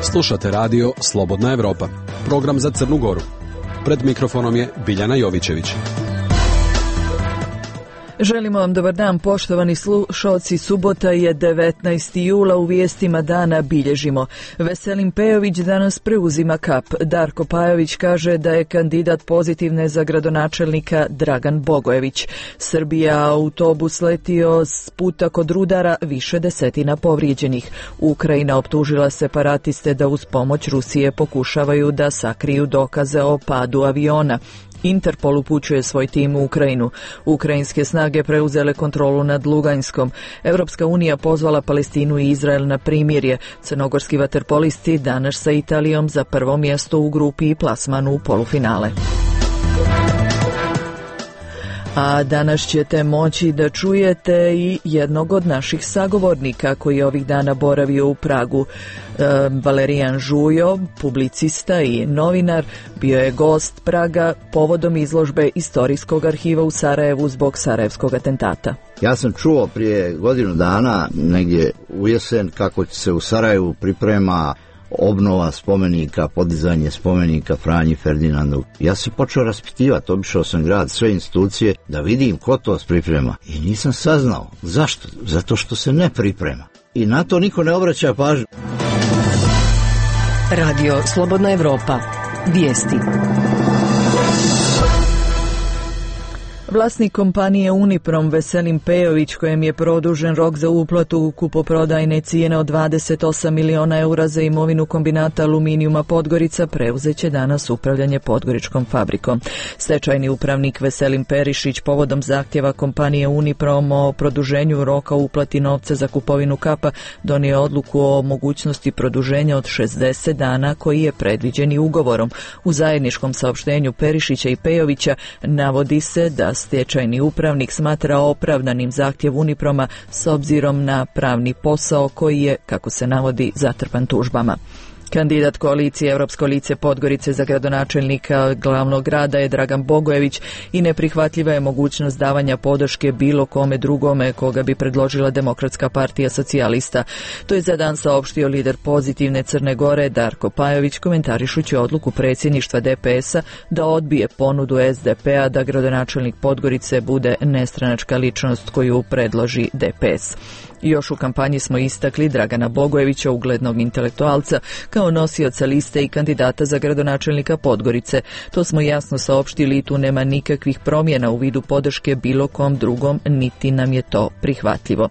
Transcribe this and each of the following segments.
Slušate radio Slobodna Evropa, program za Crnu Goru. Pred mikrofonom je Biljana Jovićević. Želimo vam dobar dan, poštovani slušalci. Subota je 19. jula, u vijestima dana bilježimo. Veselin Pejović danas preuzima kap. Darko Pajović kaže da je kandidat pozitivne za gradonačelnika Dragan Bogojević. Srbija autobus letio s puta kod rudara, više desetina povrijeđenih. Ukrajina optužila separatiste da uz pomoć Rusije pokušavaju da sakriju dokaze o padu aviona. Interpol upućuje svoj tim u Ukrajinu. Ukrajinske snage preuzele kontrolu nad Luganskom. Europska unija pozvala Palestinu i Izrael na primirje. Crnogorski vaterpolisti danas sa Italijom za prvo mjesto u grupi i plasman u polufinale. A danas ćete moći da čujete i jednog od naših sagovornika koji je ovih dana boravio u Pragu. Valerijan Žujo, publicista i novinar, bio je gost Praga povodom izložbe Istorijskog arhiva u Sarajevu zbog sarajevskog atentata. Ja sam čuo prije godinu dana, negdje u jesen, kako se u Sarajevu priprema obnova spomenika, podizanje spomenika Franji Ferdinandu. Ja se počeo raspitivati, obišao sam grad, sve institucije, da vidim ko to priprema. I nisam saznao. Zašto? Zato što se ne priprema. I na to niko ne obraća pažnju. Radio Slobodna Evropa. Vijesti. Vlasnik kompanije Uniprom Veselin Pejović, kojem je produžen rok za uplatu kupoprodajne cijene od 28 miliona eura za imovinu kombinata aluminijuma Podgorica, preuzeće danas upravljanje Podgoričkom fabrikom. Stečajni upravnik Veselin Perišić povodom zahtjeva kompanije Uniprom o produženju roka uplati novca za kupovinu kapa donio odluku o mogućnosti produženja od 60 dana koji je predviđen i ugovorom. U zajedničkom saopštenju Perišića i Pejovića navodi se da stečajni upravnik smatra opravdanim zahtjev Uniproma s obzirom na pravni posao koji je, kako se navodi, zatrpan tužbama. Kandidat koalicije Europsko lice Podgorice za gradonačelnika glavnog grada je Dragan Bogojević i neprihvatljiva je mogućnost davanja podrške bilo kome drugome koga bi predložila Demokratska partija socijalista. To je za dan saopštio lider pozitivne Crne Gore Darko Pajović komentarišući odluku predsjedništva DPS-a da odbije ponudu SDP-a da gradonačelnik Podgorice bude nestranačka ličnost koju predloži DPS. Još u kampanji smo istakli Dragana Bogojevića, uglednog intelektualca, kao nosioca liste i kandidata za gradonačelnika Podgorice. To smo jasno saopštili i tu nema nikakvih promjena u vidu podrške bilo kom drugom, niti nam je to prihvatljivo.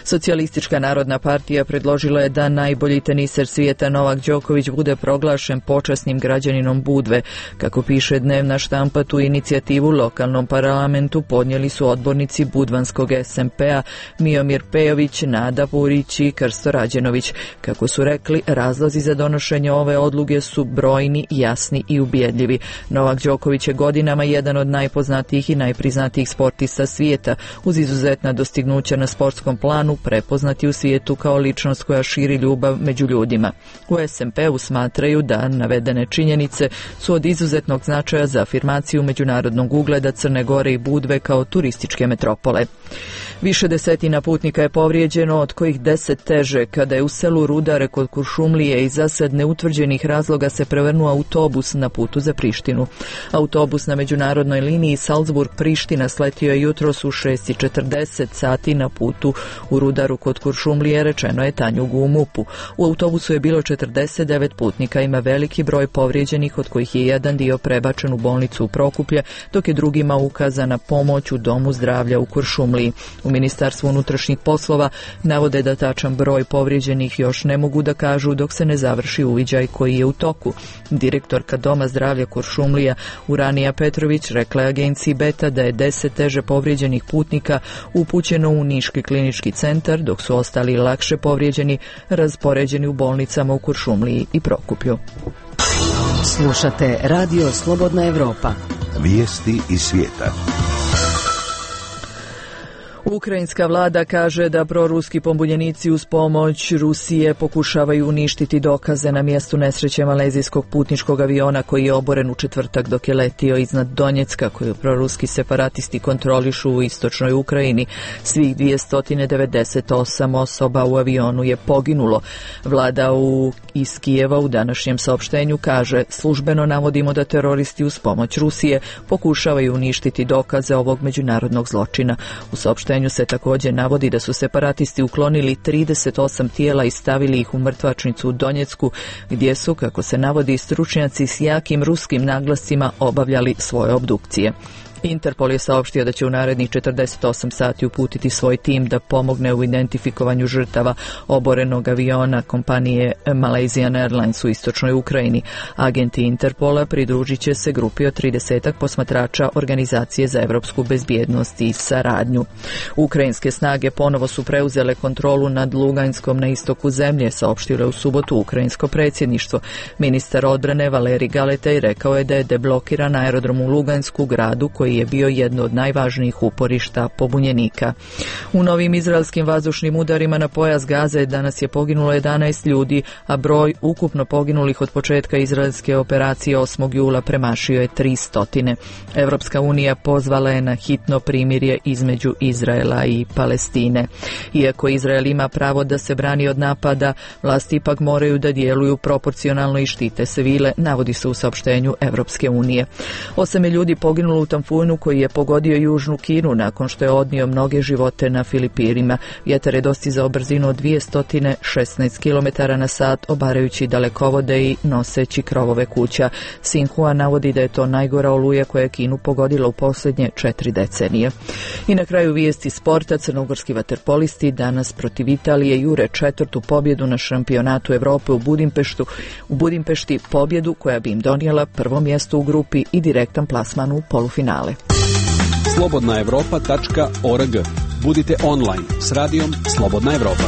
Socijalistička narodna partija predložila je da najbolji teniser svijeta Novak Đoković bude proglašen počasnim građaninom Budve. Kako piše dnevna štampa, tu inicijativu lokalnom parlamentu podnijeli su odbornici budvanskog SMP-a Miomir Pejović, Nada Purić i Krsto Rađenović. Kako su rekli, razlozi za donošenje ove odluke su brojni, jasni i ubjedljivi. Novak Đoković je godinama jedan od najpoznatijih i najpriznatijih sportista svijeta, uz izuzetna dostignuća na sportskom planu, prepoznati u svijetu kao ličnost koja širi ljubav među ljudima. U SMP-u smatraju da navedene činjenice su od izuzetnog značaja za afirmaciju međunarodnog ugleda Crne Gore i Budve kao turističke metropole. Više desetina putnika je povrijeđeno, od kojih 10 teže, kada je u selu Rudare kod Kuršumlije iz zasad neutvrđenih razloga se prevrnuo autobus na putu za Prištinu. Autobus na međunarodnoj liniji Salzburg-Priština sletio je jutros u 6:40 sati na putu u Rudaru kod Kuršumlije, rečeno je Tanjugu u MUP-u. U autobusu je bilo 49 putnika, ima veliki broj povrijeđenih, od kojih je jedan dio prebačen u bolnicu u Prokuplje, dok je drugima ukazana pomoć u domu zdravlja u Kuršumliji. U Ministarstvu unutrašnjih poslova navode da tačan broj povrijeđenih još ne mogu da kažu dok se ne završi uviđaj koji je u toku. Direktorka Doma zdravlja Kuršumlija Uranija Petrović rekla je agenciji Beta da je 10 teže povrijeđenih putnika upućeno u Niški klinički centar, dok su ostali lakše povrijeđeni raspoređeni u bolnicama u Kuršumliji i Prokuplju. Slušate Radio Slobodna Evropa. Vijesti iz svijeta. Ukrajinska vlada kaže da proruski pobunjenici uz pomoć Rusije pokušavaju uništiti dokaze na mjestu nesreće malezijskog putničkog aviona koji je oboren u četvrtak dok je letio iznad Donjecka, koju proruski separatisti kontrolišu u istočnoj Ukrajini. Svih 298 osoba u avionu je poginulo. Vlada iz Kijeva u današnjem saopštenju kaže: službeno navodimo da teroristi uz pomoć Rusije pokušavaju uništiti dokaze ovog međunarodnog zločina. U saopštenju se također navodi da su separatisti uklonili 38 tijela i stavili ih u mrtvačnicu u Donjecku, gdje su, kako se navodi, stručnjaci s jakim ruskim naglascima obavljali svoje obdukcije. Interpol je saopštio da će u narednih 48 sati uputiti svoj tim da pomogne u identifikovanju žrtava oborenog aviona kompanije Malaysian Airlines u istočnoj Ukrajini. Agenti Interpola pridružit će se grupi od 30 posmatrača Organizacije za evropsku bezbjednost i saradnju. Ukrajinske snage ponovo su preuzele kontrolu nad Luganskom na istoku zemlje, saopštilo je u subotu ukrajinsko predsjedništvo. Ministar odbrane Valerij Galetej rekao je da je deblokiran aerodrom u Lugansku, gradu koji je bio jedno od najvažnijih uporišta pobunjenika. U novim izraelskim vazdušnim udarima na pojas Gaze danas je poginulo 11 ljudi, a broj ukupno poginulih od početka izraelske operacije 8. jula premašio je 300. Evropska unija pozvala je na hitno primirje između Izraela i Palestine. Iako Izrael ima pravo da se brani od napada, vlasti ipak moraju da djeluju proporcionalno i štite civile, navodi se u saopštenju Evropske unije. 8 je ljudi poginulo u tamfunu koji je pogodio južnu Kinu nakon što je odnio mnoge živote na Filipinima. Vjetar je dostizao brzinu od 216 km na sat, obarajući dalekovode i noseći krovove kuća. Sinhua navodi da je to najgora oluja koja je Kinu pogodila u posljednje 4 decenije. I na kraju vijesti sporta: crnogorski vaterpolisti danas protiv Italije jure 4. pobjedu na šampionatu Evrope u Budimpešti, pobjedu koja bi im donijela prvo mjesto u grupi i direktan plasman u polufinale. slobodnaevropa.org. Budite online s radijom Slobodna Evropa.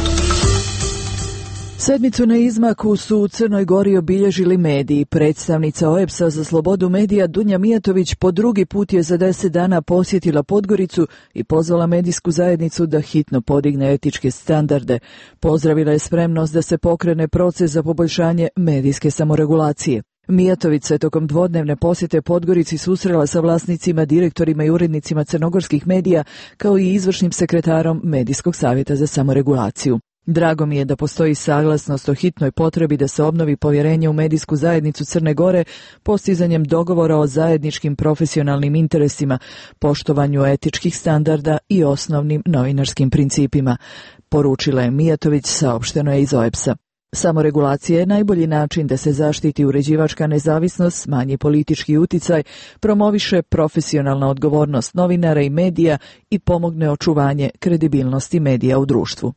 Sedmicu na izmaku su u Crnoj Gori obilježili mediji. Predstavnica OEBS-a za slobodu medija Dunja Mijatović po drugi put je za 10 dana posjetila Podgoricu i pozvala medijsku zajednicu da hitno podigne etičke standarde. Pozdravila je spremnost da se pokrene proces za poboljšanje medijske samoregulacije. Mijatović se tokom dvodnevne posjete Podgorici susrela sa vlasnicima, direktorima i urednicima crnogorskih medija, kao i izvršnim sekretarom Medijskog savjeta za samoregulaciju. Drago mi je da postoji saglasnost o hitnoj potrebi da se obnovi povjerenje u medijsku zajednicu Crne Gore postizanjem dogovora o zajedničkim profesionalnim interesima, poštovanju etičkih standarda i osnovnim novinarskim principima, poručila je Mijatović, saopšteno je iz OEBS-a. Samoregulacija je najbolji način da se zaštiti uređivačka nezavisnost, smanji politički uticaj, promoviše profesionalna odgovornost novinara i medija i pomogne očuvanje kredibilnosti medija u društvu.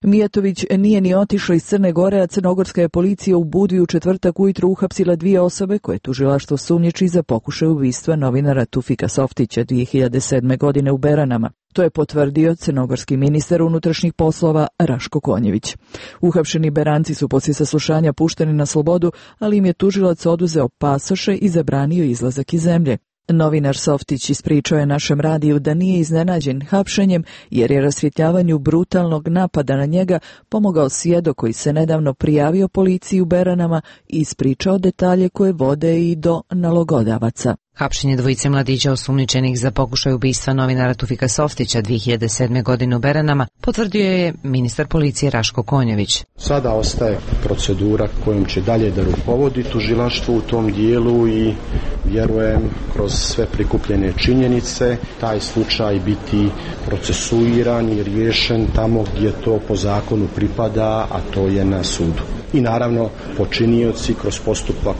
Mijatović nije ni otišla iz Crne Gore, a crnogorska je policija u Budvi u četvrtak ujutro uhapsila 2 osobe koje tužilaštvo sumnjiči za pokušaj ubistva novinara Tufika Softića 2007. godine u Beranama. To je potvrdio crnogorski ministar unutrašnjih poslova Raško Konjević. Uhapšeni Beranci su poslije saslušanja pušteni na slobodu, ali im je tužilac oduzeo pasoše i zabranio izlazak iz zemlje. Novinar Softić ispričao je našem radiju da nije iznenađen hapšenjem jer je rasvjetljavanju brutalnog napada na njega pomogao svjedok koji se nedavno prijavio policiji u Beranama i ispričao detalje koje vode i do nalogodavaca. Hapšenje dvojice mladića osumnjičenih za pokušaj ubistva novinara Tufika Softića 2007. godine u Beranama potvrdio je ministar policije Raško Konjević. Sada ostaje procedura kojom će dalje da rukovodi tužilaštvo u tom dijelu i vjerujem kroz sve prikupljene činjenice taj slučaj biti procesuiran i riješen tamo gdje to po zakonu pripada, a to je na sudu. I naravno počinioci kroz postupak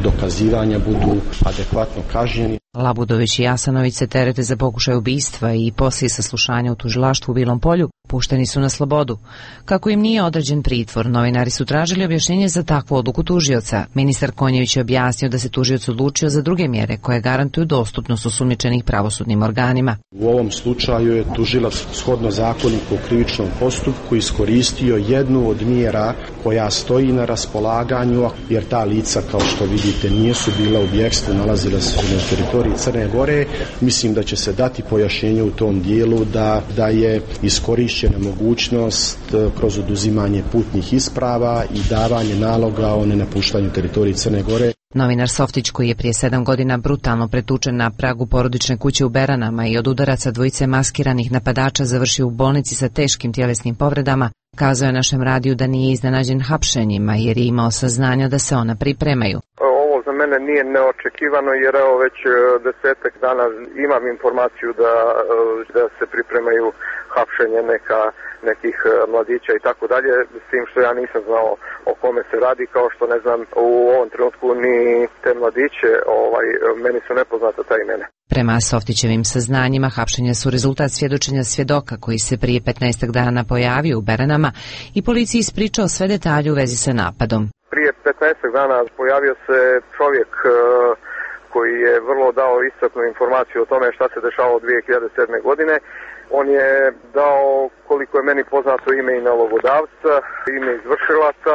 dokazivanja budu adekvatno kažnjeni. Labudović i Jasanović se terete za pokušaj ubistva i poslije saslušanja u tužilaštvu u Bilom Polju Pušteni su na slobodu. Kako im nije određen pritvor, novinari su tražili objašnjenje za takvu odluku tužioca. Ministar Konjević je objasnio da se tužioc odlučio za druge mjere koje garantuju dostupnost osumnjičenih pravosudnim organima. U ovom slučaju je tužilac shodno zakoniku o krivičnom postupku iskoristio jednu od mjera koja stoji na raspolaganju, jer ta lica, kao što vidite, nisu bila u bjegstvu, nalazila se na teritoriji Crne Gore. Mislim da će se dati pojašnjenje u tom dijelu da je iskorišćena mogućnost kroz oduzimanje putnih isprava i davanje naloga o nenapuštanju teritoriji Crne Gore. Novinar Softić, koji je prije 7 godina brutalno pretučen na pragu porodične kuće u Beranama i od udaraca dvojice maskiranih napadača završio u bolnici sa teškim tjelesnim povredama, kazao je našem radiju da nije iznenađen hapšenjima jer je imao saznanja da se ona pripremaju. Ovo za mene nije neočekivano jer evo već 10 dana imam informaciju da se pripremaju hapšenje nekih mladića i tako dalje, s tim što ja nisam znao o kome se radi, kao što ne znam u ovom trenutku ni te mladiće, meni su nepoznata ta imena. Prema Softićevim saznanjima, hapšenja su rezultat svjedočenja svjedoka koji se prije 15 dana pojavio u Beranama i policiji ispričao sve detalje u vezi sa napadom. Prije 15 dana pojavio se čovjek koji je vrlo dao iscrpnu informaciju o tome šta se dešavalo 2007. godine. On je dao, koliko je meni poznato, ime i nalogodavca, ime izvršilaca.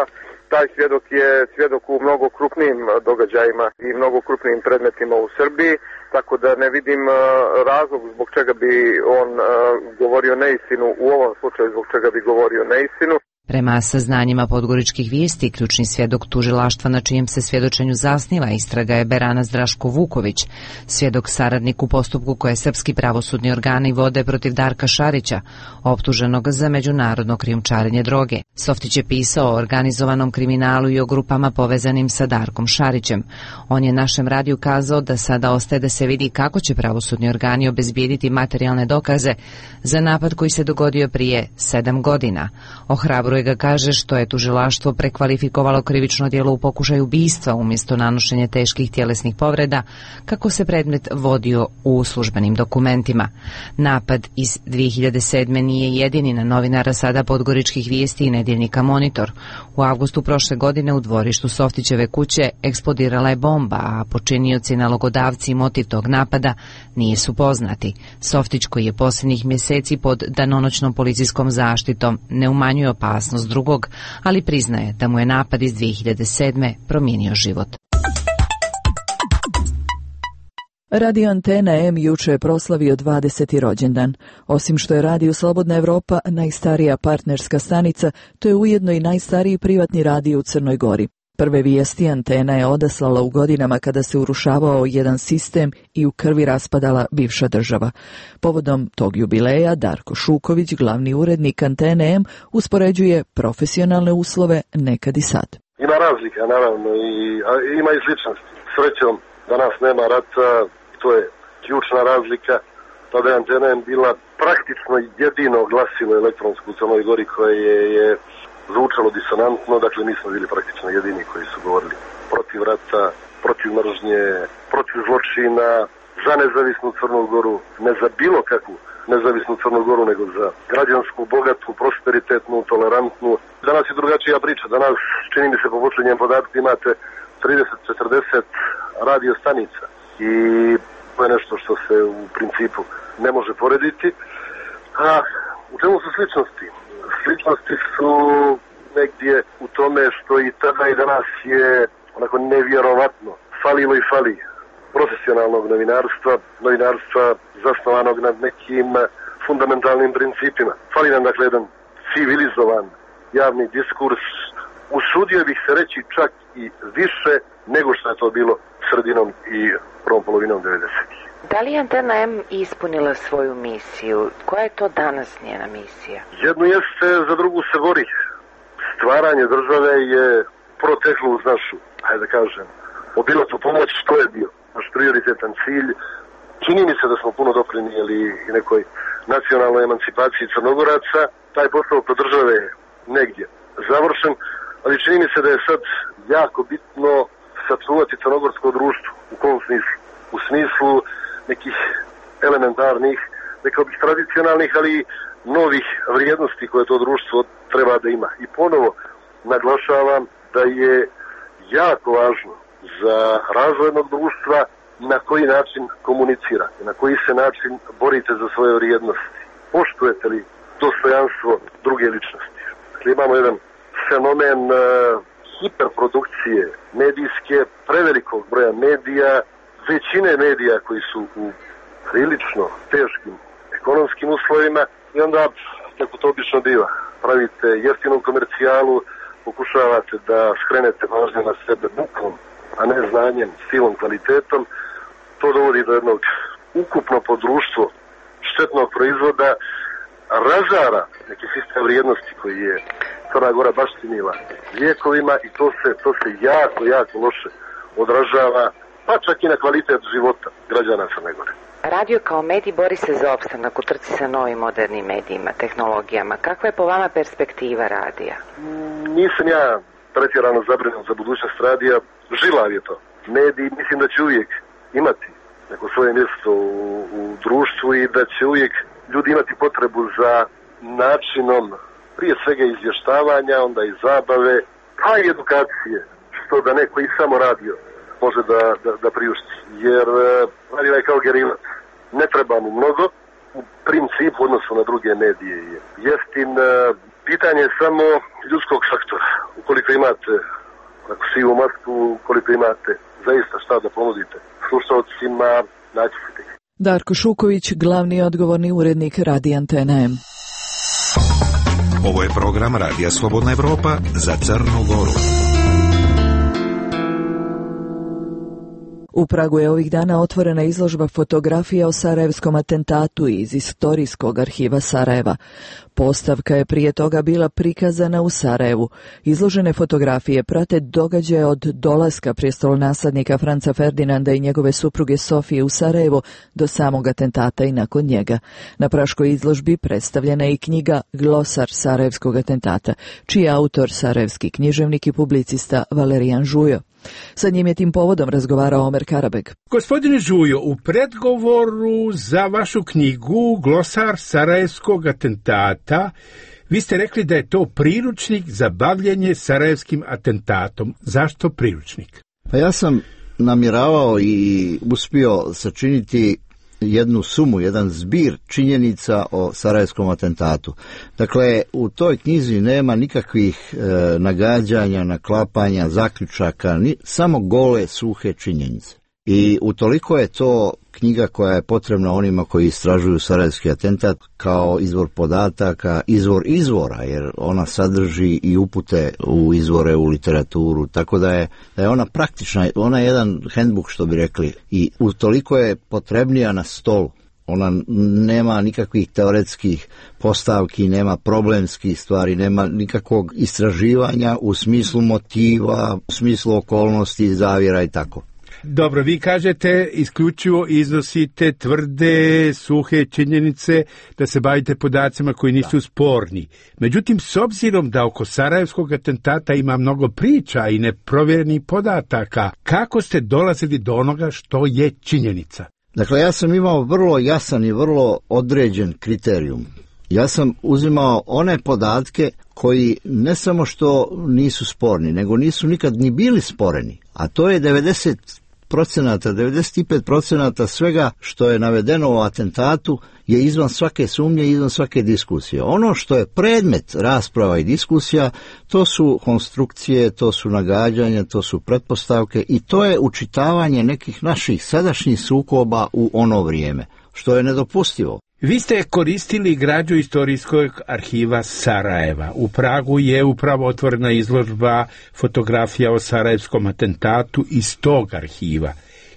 Taj svjedok je svjedok u mnogo krupnijim događajima i mnogo krupnijim predmetima u Srbiji, tako da ne vidim razlog zbog čega bi on govorio neistinu, u ovom slučaju zbog čega bi govorio neistinu. Prema saznanjima Podgoričkih vijesti, ključni svjedok tužilaštva na čijem se svjedočenju zasniva istraga je Beranac Draško Vuković, svjedok saradnik u postupku koje srpski pravosudni organi vode protiv Darka Šarića, optuženog za međunarodno krijumčarenje droge. Softić je pisao o organizovanom kriminalu i o grupama povezanim sa Darkom Šarićem. On je našem radiju kazao da sada ostaje da se vidi kako će pravosudni organi obezbijediti materijalne dokaze za napad koji se dogodio prije 7 godina. Ohrabruje ga, kaže, što je tužilaštvo prekvalifikovalo krivično djelo u pokušaju ubistva umjesto nanošenja teških tjelesnih povreda, kako se predmet vodio u službenim dokumentima. Napad iz 2007. nije jedini na novinara sada Podgoričkih vijesti i nedjeljnika Monitor. U avgustu prošle godine u dvorištu Softićeve kuće eksplodirala je bomba, a počinioci, nalogodavci i motiv tog napada nisu poznati. Softić, koji je posljednjih mjeseci pod danonoćnom policijskom zaštitom, ne umanjuje opasnost drugog, ali priznaje da mu je napad iz 2007. promijenio život. Radio Antena M juče je proslavio 20. rođendan. Osim što je Radio Slobodna Evropa najstarija partnerska stanica, to je ujedno i najstariji privatni radio u Crnoj Gori. Prve vijesti Antena je odaslala u godinama kada se urušavao jedan sistem i u krvi raspadala bivša država. Povodom tog jubileja Darko Šuković, glavni urednik Antene M, uspoređuje profesionalne uslove nekad i sad. Ima razlika, naravno, ima i sličnosti. Srećom, danas nema rata, to je ključna razlika. Tada je Antena M bila praktično jedino glasilo elektronsko u Crnoj Gori koje je zvučalo disonantno, dakle mi smo bili praktično jedini koji su govorili protiv rata, protiv mržnje, protiv zločina, za nezavisnu Crnu Goru, ne za bilo kakvu nezavisnu Crnu Goru, nego za građansku, bogatu, prosperitetnu, tolerantnu. Danas je drugačija priča, danas, čini mi se po posljednjem podatku, imate 30-40 radio stanica i to je nešto što se u principu ne može porediti. A u čemu su sličnosti? Sličnosti su negdje u tome što i tada i danas je onako nevjerovatno falilo i fali profesionalnog novinarstva zasnovanog nad nekim fundamentalnim principima. Fali nam dakle jedan civilizovan javni diskurs, usudio bih se reći čak i više nego što je to bilo sredinom i prvom polovinom 90-ih. Da li je Antena M ispunila svoju misiju? Koja je to danas njena misija? Jednu jeste, za drugu se bori. Stvaranje države je proteklo uz našu, hajde da kažem, obilatu pomoć, što je bio naš prioritetan cilj. Čini mi se da smo puno doprinijeli i nekoj nacionalnoj emancipaciji Crnogoraca. Taj posao kod države je negdje završen, ali čini mi se da je sad jako bitno sačuvati crnogorsko društvo. U kom smislu? U smislu nekih elementarnih, rekao bih tradicionalnih, ali novih vrijednosti koje to društvo treba da ima. I ponovo naglašavam da je jako važno za razvoj jednog društva na koji način komunicirate, na koji se način borite za svoje vrijednosti. Poštujete li dostojanstvo druge ličnosti? Dakle, imamo jedan fenomen hiperprodukcije medijske, prevelikog broja medija, većine medija koji su u prilično teškim ekonomskim uslovima i onda, kako to obično biva, pravite jeftinu komercijalu, pokušavate da skrenete pažnju na sebe bukom, a ne znanjem, stilom, kvalitetom. To dovodi do jednog ukupno po društvo štetnog proizvoda, razara neki sistem vrijednosti koji je Crna Gora baštinila vijekovima i to se jako loše odražava, pa čak i na kvalitet života građana Crne Gore. Radio kao medij bori se za opstanak u trci sa novim modernim medijima, tehnologijama. Kakva je po vama perspektiva radija? Nisam ja pretjerano zabrinut za budućnost radija. Žilav je to. Mediji mislim da će uvijek imati neko svoje mjesto u društvu i da će uvijek ljudi imati potrebu za načinom prije svega izvještavanja, onda i zabave, a i edukacije, što da neko i samo radio može da priušti. Jer radio je kao gerilac. Ne treba mu mnogo, u principu odnosu na druge medije je jeftin. Pitanje je samo ljudskog faktora. Ukoliko imate sivu masku, ukoliko imate zaista šta da ponudite slušalcima, naći ćete. Darko Šuković, glavni odgovorni urednik Radija Antena M. Ovo je program Radija Slobodna Evropa za Crnu Goru. U Pragu je ovih dana otvorena izložba fotografija o sarajevskom atentatu iz istorijskog arhiva Sarajeva. Postavka je prije toga bila prikazana u Sarajevu. Izložene fotografije prate događaje od dolaska prestolonaslednika Franca Ferdinanda i njegove supruge Sofije u Sarajevo do samog atentata i nakon njega. Na praškoj izložbi predstavljena je i knjiga Glosar sarajevskog atentata, čiji je autor sarajevski književnik i publicista Valerijan Žujo. Sa njim je tim povodom razgovarao Omer Karabeg. Gospodine Žujo, u predgovoru za vašu knjigu Glosar sarajevskog atentata vi ste rekli da je to priručnik za bavljenje sarajevskim atentatom. Zašto priručnik? Pa ja sam namjeravao i uspio sačiniti jednu sumu, jedan zbir činjenica o sarajevskom atentatu. Dakle, u toj knjizi nema nikakvih nagađanja, naklapanja, zaključaka, samo gole, suhe činjenice. I utoliko je to knjiga koja je potrebna onima koji istražuju sarajevski atentat kao izvor podataka, izvor izvora, jer ona sadrži i upute u izvore, u literaturu, tako da je ona praktična, ona je jedan handbook, što bi rekli, i utoliko je potrebnija na stolu. Ona nema nikakvih teoretskih postavki, nema problemskih stvari, nema nikakvog istraživanja u smislu motiva, u smislu okolnosti, zavjera i tako. Dobro, vi kažete isključivo iznosite tvrde, suhe činjenice, da se bavite podacima koji nisu sporni. Međutim, s obzirom da oko sarajevskog atentata ima mnogo priča i neprovjerenih podataka, kako ste dolazili do onoga što je činjenica? Dakle, ja sam imao vrlo jasan i vrlo određen kriterijum. Ja sam uzimao one podatke koji ne samo što nisu sporni, nego nisu nikad ni bili sporeni, a to je 95% svega što je navedeno u atentatu je izvan svake sumnje i izvan svake diskusije. Ono što je predmet rasprava i diskusija, to su konstrukcije, to su nagađanja, to su pretpostavke i to je učitavanje nekih naših sadašnjih sukoba u ono vrijeme, što je nedopustivo. Vi ste koristili građu istorijskog arhiva Sarajeva. U Pragu je upravo otvorena izložba fotografija o sarajevskom atentatu iz tog arhiva.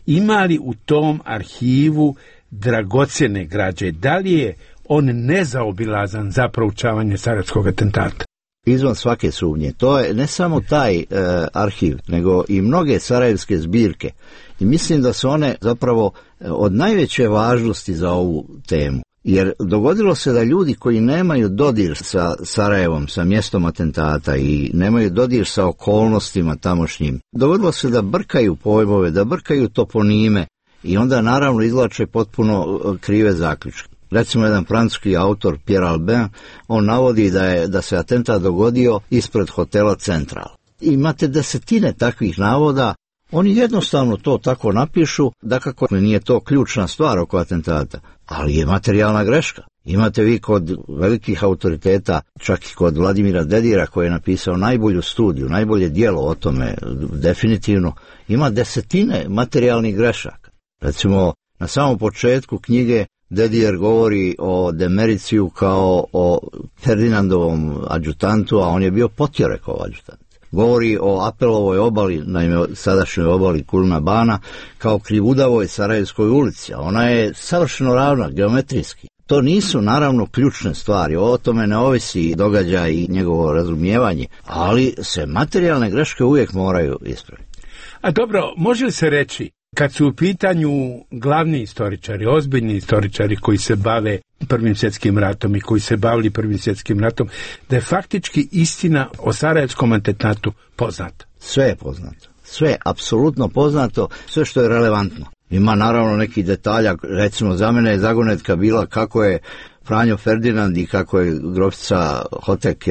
Ima li u tom arhivu dragocjene građe? Da li je on nezaobilazan za proučavanje sarajevskog atentata? Izvan svake sumnje. To je ne samo taj arhiv, nego i mnoge sarajevske zbirke. I mislim da su one zapravo od najveće važnosti za ovu temu. Jer dogodilo se da ljudi koji nemaju dodir sa Sarajevom, sa mjestom atentata i nemaju dodir sa okolnostima tamošnjim, dogodilo se da brkaju pojmove, da brkaju toponime i onda naravno izvlače potpuno krive zaključke. Recimo jedan francuski autor, Pierre Albin, on navodi da se atentat dogodio ispred hotela Central. Imate desetine takvih navoda, oni jednostavno to tako napišu, dakako nije to ključna stvar oko atentata, ali je materijalna greška. Imate vi kod velikih autoriteta, čak i kod Vladimira Dedira koji je napisao najbolju studiju, najbolje djelo o tome, definitivno, ima desetine materijalnih grešaka. Recimo, na samom početku knjige Dedijer govori o Demericiju kao o Ferdinandovom adjutantu, a on je bio Potjorekov adjutant. Govori o Apelovoj obali, naime sadašnjoj obali Kulna Bana, kao krivudavoj Sarajevskoj ulici, a ona je savršeno ravna, geometrijski. To nisu naravno ključne stvari, o tome ne ovisi događaj i njegovo razumijevanje, ali se materijalne greške uvijek moraju ispraviti. A dobro, može li se reći, kad su u pitanju glavni istoričari, ozbiljni istoričari koji se bave Prvim svjetskim ratom i koji se bavili Prvim svjetskim ratom, da je faktički istina o Sarajevskom atentatu poznata? Sve je poznato. Sve, apsolutno poznato, sve što je relevantno. Ima naravno nekih detalja, recimo za mene je zagonetka bila kako je Franjo Ferdinand i kako je grofica Hotek,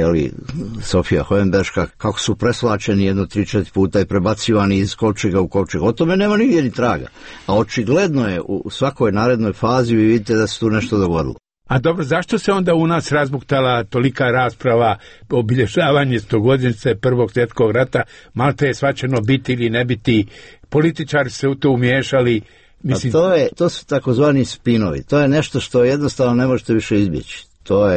Sofija Hohenberška, kako su preslačeni 3-4 puta i prebacivani iz kovčega u kovčeg. O tome nema nigdje ni traga. A očigledno je u svakoj narednoj fazi vi vidite da se tu nešto dogodilo. A dobro, zašto se onda u nas razbuktala tolika rasprava, obilježavanje 100-godišnjice Prvog svjetskog rata, malte je svačeno biti ili ne biti, političari se u to umiješali? Mislim... To su takozvani spinovi, to je nešto što jednostavno ne možete više izbjeći.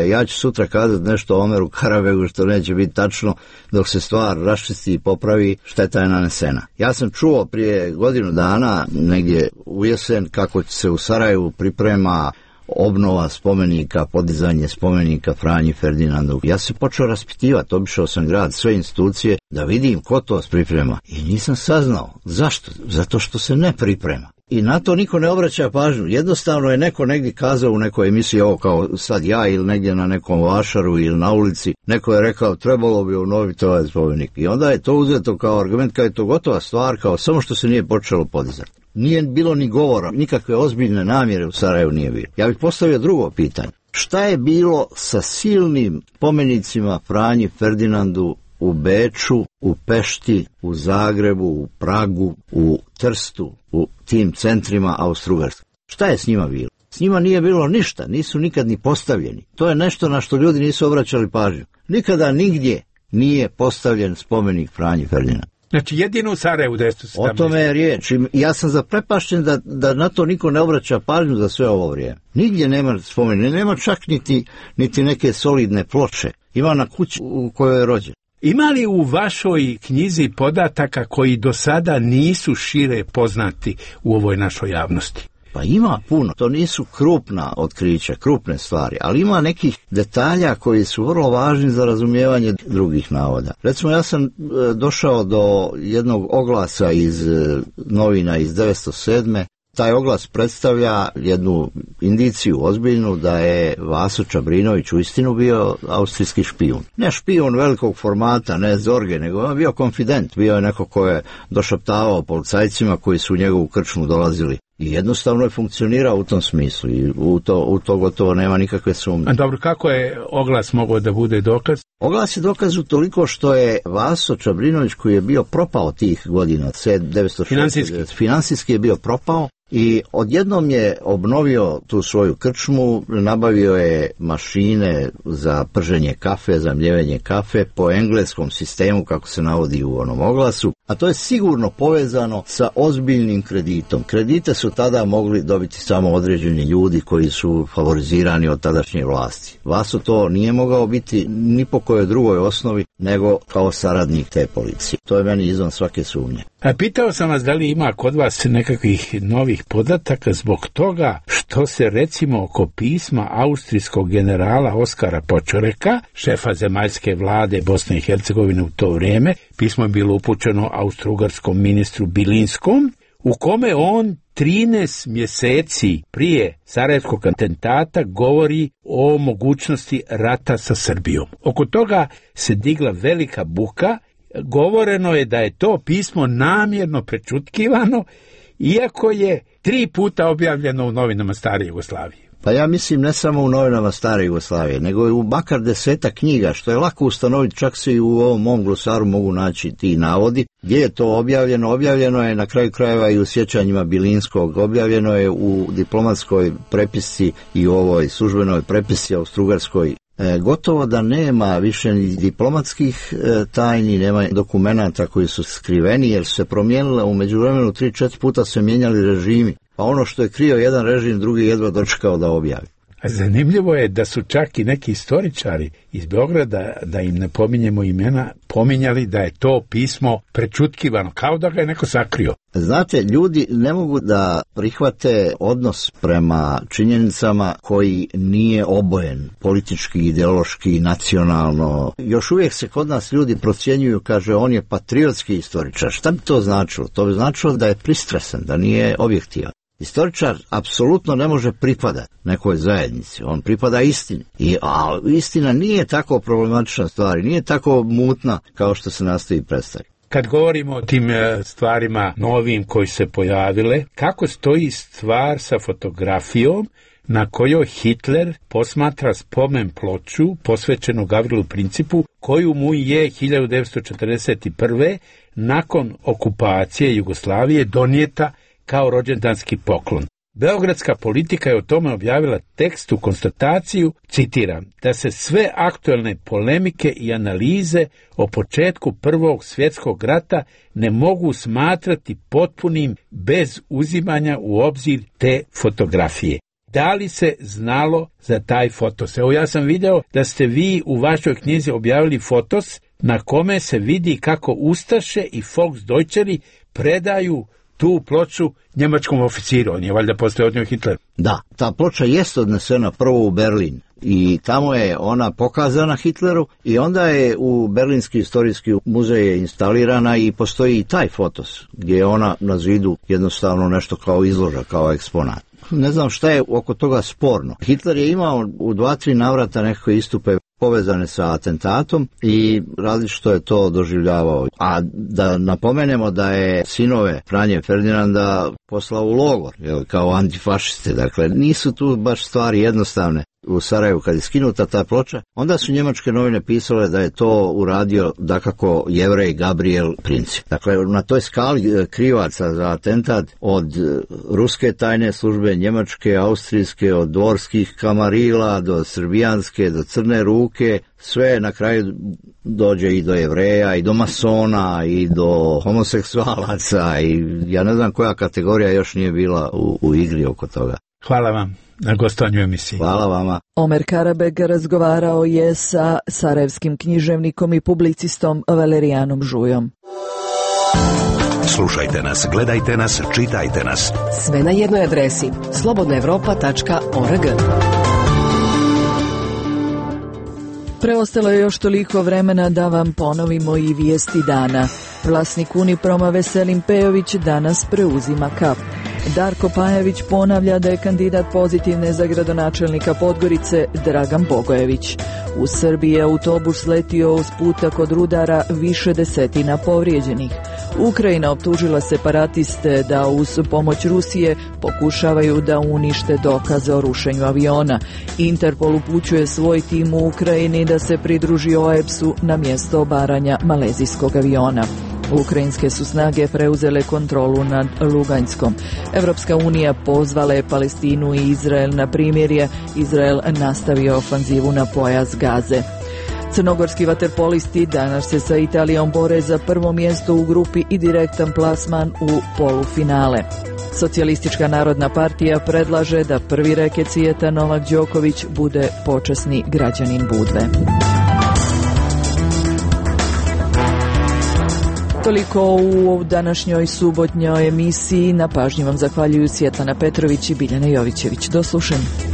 Ja ću sutra kazati nešto o Omeru Karabegu što neće biti tačno, dok se stvar raščisti i popravi, šteta je nanesena. Ja sam čuo prije godinu dana, negdje u jesen, kako se u Sarajevu priprema obnova spomenika, podizanje spomenika Franji Ferdinandu. Ja se počeo raspitivati, obišao sam grad, sve institucije, da vidim ko to priprema. I nisam saznao. Zašto? Zato što se ne priprema. I na to niko ne obraća pažnju. Jednostavno je neko negdje kazao u nekoj emisiji, ovo kao sad ja ili negdje na nekom vašaru ili na ulici, neko je rekao trebalo bi obnoviti ovaj spomenik. I onda je to uzeto kao argument, kao je to gotova stvar, kao samo što se nije počelo podizati. Nije bilo ni govora, nikakve ozbiljne namjere u Sarajevu nije bilo. Ja bih postavio drugo pitanje. Šta je bilo sa silnim spomenicima Franji Ferdinandu u Beču, u Pešti, u Zagrebu, u Pragu, u Trstu, u tim centrima Austro-Ugarske? Šta je s njima bilo? S njima nije bilo ništa, nisu nikad ni postavljeni. To je nešto na što ljudi nisu obraćali pažnju. Nikada nigdje nije postavljen spomenik Franji Ferdinandu. Znači jedino u Sarajevu 1917. O tome je riječ. Ja sam zaprepašten da na to niko ne obraća pažnju za sve ovo vrijeme. Nigdje nema spomenika, nema čak niti neke solidne ploče. Ima na kući u kojoj je rođen. Ima li u vašoj knjizi podataka koji do sada nisu šire poznati u ovoj našoj javnosti? Pa ima puno, to nisu krupna otkrića, krupne stvari, ali ima nekih detalja koji su vrlo važni za razumijevanje drugih navoda. Recimo, ja sam došao do jednog oglasa iz novina iz 1907. Taj oglas predstavlja jednu indiciju ozbiljnu da je Vaso Čabrinović uistinu bio austrijski špijun. Ne špijun velikog formata, ne Zorge, nego on bio konfident, bio je neko ko je došaptavao policajcima koji su u njegovu krčmu dolazili. I jednostavno je funkcionirao u tom smislu i u to gotovo nema nikakve sumnje. A dobro, kako je oglas mogao da bude dokaz? Oglas je dokaz utoliko što je Vaso Čabrinović, koji je bio propao tih godina, 1906. Finansijski je bio propao i odjednom je obnovio tu svoju krčmu, nabavio je mašine za prženje kafe, za mljevenje kafe po engleskom sistemu, kako se navodi u onom oglasu, a to je sigurno povezano sa ozbiljnim kreditom. Kredite su tada mogli dobiti samo određeni ljudi koji su favorizirani od tadašnje vlasti. Vaso to nije mogao biti ni po kojoj drugoj osnovi nego kao saradnik te policije. To je meni izvan svake sumnje. A pitao sam vas da li ima kod vas nekakvih novih podataka zbog toga što se recimo oko pisma austrijskog generala Oskara Počoreka, šefa zemaljske vlade Bosne i Hercegovine u to vrijeme, pismo je bilo upućeno austrougarskom ministru Bilinskom, u kome on 13 mjeseci prije Sarajevskog atentata govori o mogućnosti rata sa Srbijom. Oko toga se digla velika buka. Govoreno je da je to pismo namjerno prečutkivano, iako je 3 puta objavljeno u novinama stare Jugoslavije. Pa ja mislim ne samo u novinama stare Jugoslavije, nego i u makar 10 knjiga, što je lako ustanoviti, čak se i u ovom mom glosaru mogu naći ti navodi. Gdje je to objavljeno? Objavljeno je na kraju krajeva i u sjećanjima Bilinskog, objavljeno je u diplomatskoj prepisci i u ovoj službenoj prepisci austrougarskoj. Gotovo da nema više ni diplomatskih tajni, nema dokumenata koji su skriveni, jer su se promijenile u međuvremenu 3-4 puta se mijenjali režimi. Pa ono što je krio jedan režim, drugi jedva dočekao da objavi. Zanimljivo je da su čak i neki istoričari iz Beograda, da im ne pominjemo imena, pominjali da je to pismo prečutkivano, kao da ga je neko sakrio. Znate, ljudi ne mogu da prihvate odnos prema činjenicama koji nije obojen politički, ideološki, nacionalno. Još uvijek se kod nas ljudi procjenjuju, kaže, on je patriotski istoričar. Šta bi to značilo? To bi značilo da je pristrasan, da nije objektivan. Istoričar apsolutno ne može pripadati nekoj zajednici, on pripada istini. A istina nije tako problematična stvar, nije tako mutna kao što se nastoji predstaviti. Kad govorimo o tim stvarima novim koji se pojavile, kako stoji stvar sa fotografijom na kojoj Hitler posmatra spomen ploču posvećenu Gavrilu Principu, koju mu je 1941. nakon okupacije Jugoslavije donijeta kao rođendanski poklon. Beogradska politika je o tome objavila tekst u konstataciju, citiram, da se sve aktuelne polemike i analize o početku Prvog svjetskog rata ne mogu smatrati potpunim bez uzimanja u obzir te fotografije. Da li se znalo za taj fotos? Evo, ja sam video da ste vi u vašoj knjizi objavili fotos na kome se vidi kako ustaše i Volksdeutscheri predaju tu ploču njemačkom oficiru. On je valjda postoje od njoj Hitler. Da, ta ploča jest odnesena prvo u Berlin i tamo je ona pokazana Hitleru i onda je u Berlinski istorijski muzej je instalirana i postoji i taj fotos gdje je ona na zidu jednostavno nešto kao izloža, kao eksponat. Ne znam šta je oko toga sporno. Hitler je imao u 2-3 navrata nekakve istupe povezane sa atentatom i različito je to doživljavao. A da napomenemo da je sinove Franje Ferdinanda poslao u logor, kao antifašiste. Dakle, nisu tu baš stvari jednostavne. U Sarajevu kad je skinuta ta ploča, onda su njemačke novine pisale da je to uradio dakako Jevrej Gabriel Princip. Dakle, na toj skali krivaca za atentat od ruske tajne službe, njemačke, austrijske, od dvorskih kamarila do srbijanske, do crne ruke, sve na kraju dođe i do Jevreja, i do masona, i do homoseksualaca, i ja ne znam koja kategorija još nije bila u igri oko toga. Hvala vam na gostovanju emisiji. Hvala vama. Omer Karabeg razgovarao je sa sarajevskim književnikom i publicistom Valerijanom Žujom. Slušajte nas, gledajte nas, čitajte nas. Sve na jednoj adresi slobodnaevropa.org. Preostalo je još toliko vremena da vam ponovimo i vijesti dana. Vlasnik Uniproma Veselin Pejović danas preuzima KAP. Darko Pajević ponavlja da je kandidat pozitivne za gradonačelnika Podgorice Dragan Bogojević. U Srbiji je autobus letio uz puta kod Rudara, više desetina povrijeđenih. Ukrajina optužila separatiste da uz pomoć Rusije pokušavaju da unište dokaze o rušenju aviona. Interpol upućuje svoj tim u Ukrajini da se pridruži OEBS-u na mjesto obaranja malezijskog aviona. Ukrajinske su snage preuzele kontrolu nad Luganjskom. Evropska unija pozvala je Palestinu i Izrael na primirje. Izrael nastavio ofanzivu na pojas Gaze. Crnogorski vaterpolisti danas se sa Italijom bore za prvo mjesto u grupi i direktan plasman u polufinale. Socijalistička narodna partija predlaže da prvi reket svijeta Novak Đoković bude počasni građanin Budve. Toliko u današnjoj subotnjoj emisiji. Na pažnji vam zahvaljuju Svjetlana Petrović i Biljana Jovićević. Do slušanja.